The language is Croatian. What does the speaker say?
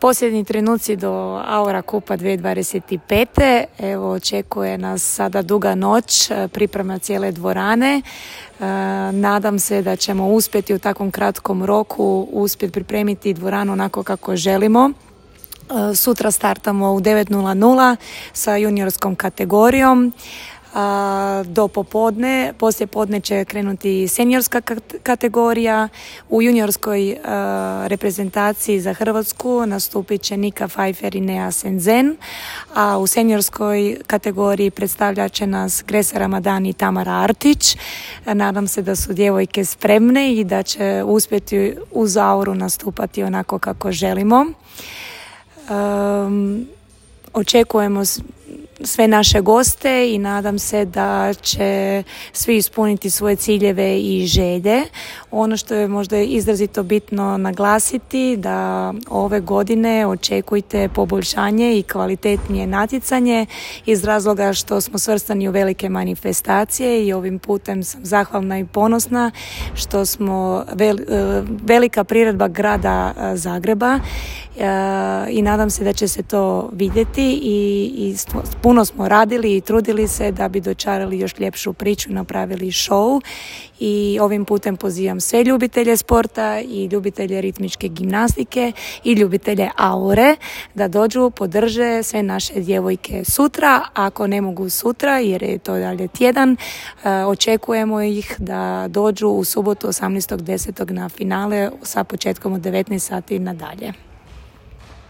Posljednji trenuci do Aura Kupa 2025. Evo, očekuje nas sada duga noć, priprema cijele dvorane. Nadam se da ćemo uspjeti u takvom kratkom roku uspjeti pripremiti dvoranu onako kako želimo. Sutra startamo u 9:00 sa juniorskom kategorijom. Do popodne, poslije podne će krenuti seniorska kategorija. U juniorskoj reprezentaciji za Hrvatsku nastupit će Nika Pfeiffer i Nea Senzen, a u seniorskoj kategoriji predstavljat će nas Gresa Ramadan i Tamara Artić. Nadam se da su djevojke spremne i da će uspjeti uz Auru nastupati onako kako želimo. Očekujemo sve naše goste i nadam se da će svi ispuniti svoje ciljeve i želje. Ono što je možda izrazito bitno naglasiti, da ove godine očekujte poboljšanje i kvalitetnije natjecanje iz razloga što smo svrstani u velike manifestacije i ovim putem sam zahvalna i ponosna što smo velika priredba grada Zagreba i nadam se da će se to vidjeti i puno smo radili i trudili se da bi dočarali još ljepšu priču, napravili show i ovim putem pozivam sve ljubitelje sporta i ljubitelje ritmičke gimnastike i ljubitelje Aure da dođu, podrže sve naše djevojke sutra. Ako ne mogu sutra jer je to dalje tjedan, očekujemo ih da dođu u subotu 18.10. na finale sa početkom od 19 sati nadalje.